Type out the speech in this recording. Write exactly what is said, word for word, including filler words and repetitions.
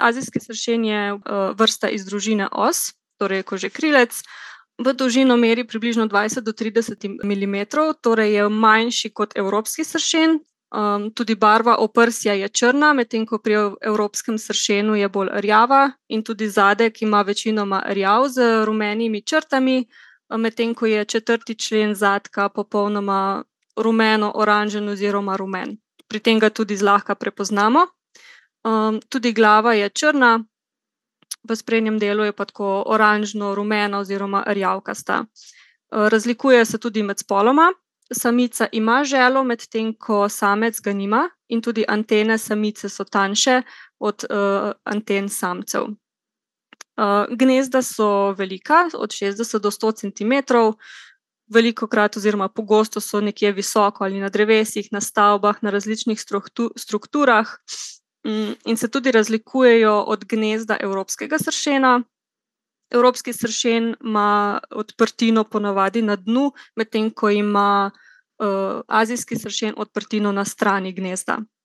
azijski sršen je vrsta iz družine os, torej kožekrilec. V dolžino meri približno dvajset do trideset milimetrov, torej je manjši kot evropski sršen. Um, tudi barva oprsja je črna, medtem ko pri evropskem sršenu je bolj rjava in tudi zadek ima večinoma rjav z rumenimi črtami, medtem ko je četrti člen zadka popolnoma rumeno-oranžen oziroma rumen. Pri tem ga tudi zlahka prepoznamo. Um, tudi glava je črna, v sprednjem delu je pa tako oranžno-rumena oziroma rjavkasta. Razlikuje se tudi med spoloma. Samica ima želo, medtem ko samec ga nima, in tudi antene samice so tanjše od uh, anten samcev. Uh, gnezda so velika, od šestdeset do sto centimetrov, velikokrat oziroma pogosto so nekje visoko ali na drevesih, na stavbah, na različnih strukturah um, in se tudi razlikujejo od gnezda evropskega sršena. Evropski sršen ima odprtino ponavadi na dnu, medtem ko ima uh, azijski sršen odprtino na strani gnezda.